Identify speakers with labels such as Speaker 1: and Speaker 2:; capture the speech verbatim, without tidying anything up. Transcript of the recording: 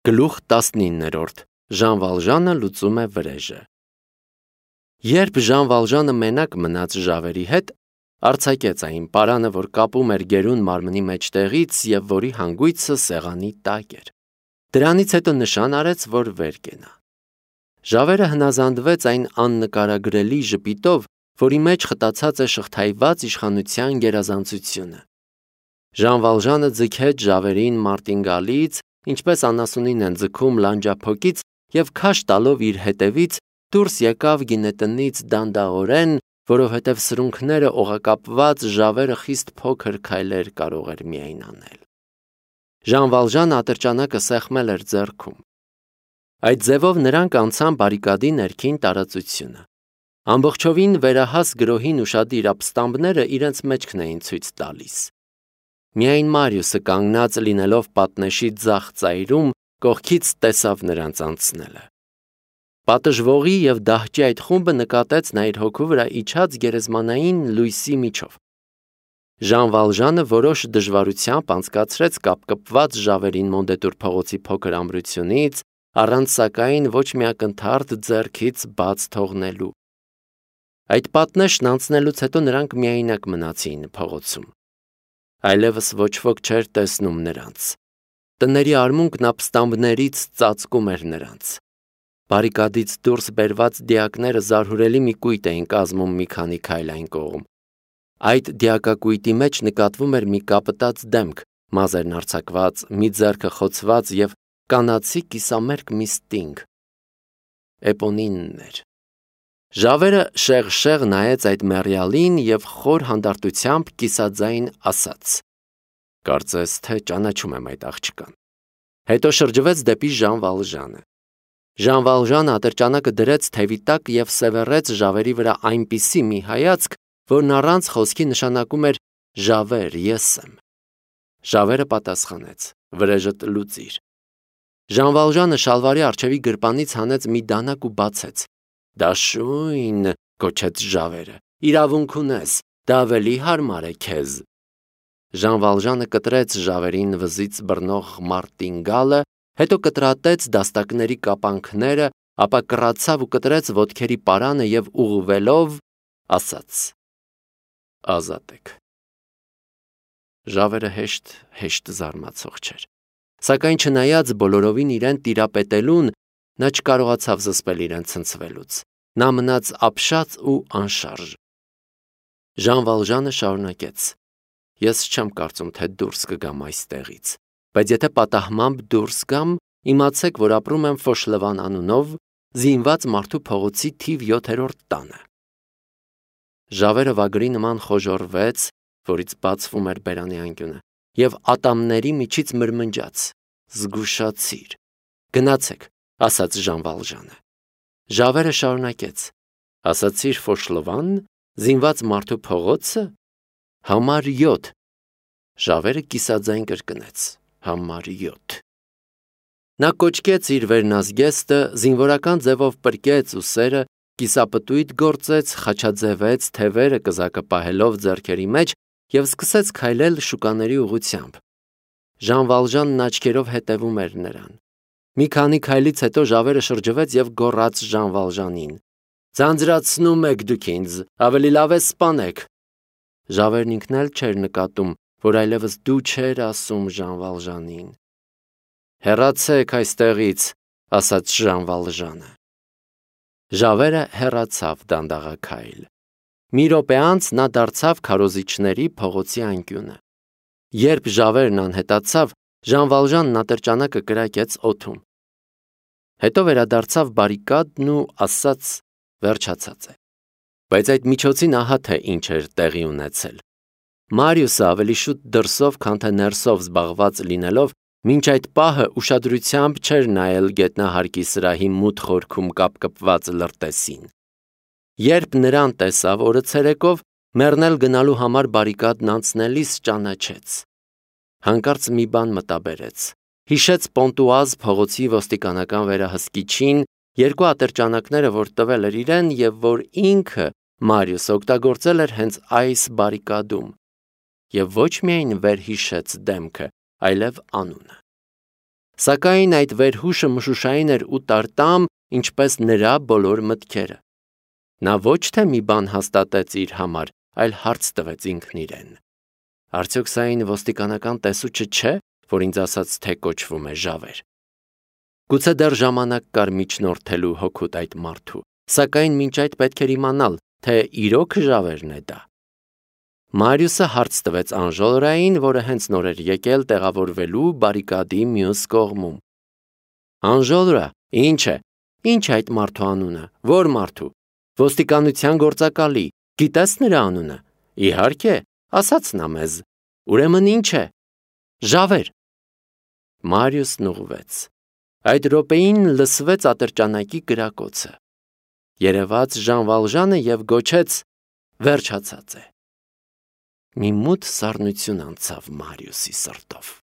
Speaker 1: Գլուխ տասնիններորդ Ժան Վալժանը լուծում է վրեժը։ Երբ Ժան Վալժանը մենակ մնաց Ժավերի հետ, արձակեց այն պարանը, որ կապում էր գերուն մարմնի մեջտեղից և որի հանգույցը սեղանի տակ էր։ Դրանից հետո նշան արեց, որ վեր կենա։ Ժավերը հնազանդվեց այն աննկարագրելի ժպիտով, որի մեջ խտացած է շղթայված իշխանության գերազանցությունը։ Ժան Վալժանը ձգեց Ժավերին մարտինգալից, ինչպես անասունին են ձգում լանջափոկից, և քաշ տալով իր հետևից դուրս եկավ գինետնից դանդաղորեն, որովհետև սրունքները օղակապված Ժավերը խիստ փոքր քայլեր կարող էր միայն անել։ Ժան Վալժանը ատրճանակը սեղմել էր ձեռքում։ Այդ ձևով նրանք անցան բարիկադի ներքին տարածությունը։ Ամբողջովին վերահաս գրոհին ուշադիր ապստամբները իրենց մեջքն էին ցույց տալիս։ Միայն Մարիուսը կանգնած լինելով պատնեշի ձախ ծայրում, կողքից տեսավ նրանց անցնելը։ Պատժվողի և դահճի այդ խումբը նկատեց նա իր հոգու վրա իջած գերեզմանային լույսի միջով։ Ժան Վալժանը որոշ դժվարությամբ անցկացրեց կապկպված Ժավերին Մոնդետուր փողոցի փոքր ամրությունից, առանց սակայն ոչ մի ակնթարթ ձեռքից բաց թողնելու։ Այդ պատնեշն անցնելուց հետո նրանք միայնակ մնացին փողոցում։ Այլևս ոչ ոք չէր տեսնում նրանց։ Տների արմունկն ապստամբներից ծածկում էր նրանց։ Բարիկադից դուրս բերված դիակները զարհուրելի մի կույտ էին կազմում մի քանի քայլ այն կողմ։ Այդ դիակակույտի մեջ նկատվում էր մի կապտած դեմք, մազերն արձակված, մի ձեռքը խոցված և կանացի կիսամերկ մի ստինգ։ Էպոնինն էր։ Ժավերը շեղ-շեղ նայեց այդ մեռյալին և խոր հանդարտությամբ կիսաձայն ասաց. «Կարծես թե ճանաչում եմ այդ աղջկան»։ Հետո շրջվեց դեպի Ժան Վալժանը։ Ժան Վալժանը ատրճանակը դրեց թևի տակ և սևեռեց Ժավերի վրա այնպիսի մի հայացք, որն առանց խոսքի նշանակում էր «Ժավեր, ես եմ»։ Ժավերը պատասխանեց. «Վրեժդ լուծիր»։ Ժան Վալժանը շալվարի առջևի գրպանից հանեց մի դանակ ու բացեց։ «Դաշույն», գոչեց Ժավերը, «իրավունք ունես, դա ավելի հարմար է քեզ»։ Ժան Վալժանը կտրեց Ժավերին վզից բռնող մարտինգալը, հետո կտրատեց դաստակների կապանքները, ապա կռացավ ու կտրեց ոտքերի պարանը և ուղղվելով ասաց. «Ազատ եք»։ Ժավերը հեշտ-հեշտ զարմացող չէր, սակայն չնայած բոլորովին իրեն տիրապետելուն, նա չկարողացավ զսպել իրեն ցնցվելուց։ Նա մնաց ապշած ու անշարժ։ Ժան Վալժանը շարունակեց. «Ես չեմ կարծում, թե դուրս կգամ այստեղից, բայց եթե պատահմամբ դուրս գամ, իմացեք, որ ապրում եմ Ֆոշլևան անունով, զինված մարդու փողոցի թիվ յոթերորդ տանը»։ Ժավերը վագրի նման խոժոռվեց, որից բացվում էր բերանի անկյունը, և ատամների միջից մրմնջաց. «Զգուշացիր»։ «Գնացեք», ասաց Ժան Վալժանը։ Ժավերը շարունակեց. «Ասացիր Ֆոշլովան, զինված մարդու փողոցը, համար յոթ»։ Ժավերը կիսաձայն կրկնեց. «Համար յոթ»։ Նա կոչկեց իր վերնազգեստը, զինվորական ձևով պրկեց ուսերը, կիսապտույտ գործեց, խաչաձևեց թևերը կզակը պահելով ձեռքերի մեջ և սկսեց քայլել շուկաների ուղղությամբ։ Ժան Վալժանն աչքերով հետևում էր նրան։ Մի քանի քայլից հետո Ժավերը շրջվեց և գոռաց Ժան Վալժանին. «Ձանձրացնում եք դուք ինձ, ավելի լավ է սպանեք»։ Ժավերն ինքն էլ չէր նկատում, որ այլևս դու չէր ասում Ժան Վալժանին։ «Հեռացեք այստեղից», ասաց Ժան Վալժանը։ Ժավերը հեռացավ դանդաղաքայլ։ Մի րոպե անց նա դարձավ քարոզիչների փողոցի անկյունը։ Երբ Ժավերն անհետացավ, Ժան Վալժանն ատրճանակը կրակեց օդում։ Հետո վերադարձավ բարիկադն ու ասաց. «Վերջացած է»։ Բայց այդ միջոցին ահա թե ինչ էր տեղի ունեցել։ Մարիուսը ավելի շուտ դրսով, քան թե ներսով զբաղված լինելով, մինչ այդ պահը ուշադրությամբ չէր նայել գետնահարկի սրահի մութ խորքում կապկպված լրտեսին։ Երբ նրան տեսավ օրը ցերեկով, մեռնել գնալու համար բարիկադն անցնելիս ճանաչեց։ Հանկարծ մի բան մտաբերեց։ Հիշեց Պոնտուազ փողոցի ոստիկանական վերահսկիչին, երկու ատրճանակները, որ տվել էր իրեն և որ ինքը Մարիուսը օգտագործել էր հենց այս բարիկադում։ Եվ ոչ միայն վերհիշեց դեմքը, այլև անունը։ Սակայն այդ վերհուշը մշուշային էր ու տարտամ, ինչպես նրա բոլոր մտքերը։ Նա ոչ թե մի բան հաստատեց իր համար, այլ հարց տվեց ինքն իրեն. Արդյոք սա այն ոստիկանական տեսուչը չէ, որ ինձ ասաց, թե կոչվում է Ժավեր։ Գուցե դեռ ժամանակ կար միջնորդելու հոգուտ այդ մարդու, սակայն մինչ այդ պետք էր իմանալ, թե իրոք Ժավերն է դա։ Մարիուսը հարց տվեց Անժոլրային, որը հենց նոր էր եկել տեղավորվելու բարիկադի մյուս կողմում։ Անժոլրա, ինչ է, ինչ է այդ մարդու անունը, որ մարդու, ոստիկանության գործակալի, գիտես նրա անունը, իհարկե, ասաց նա մեզ, ուրեմն ինչ է, Ժավեր։ Մարիուսն ուղղվեց։ Այդ րոպեին լսվեց ատրճանակի կրակոցը։ Երևաց Ժան Վալժանը և գոչեց. վերջացած է։ Մի մութ սառնություն անցավ Մարիուսի սրտով։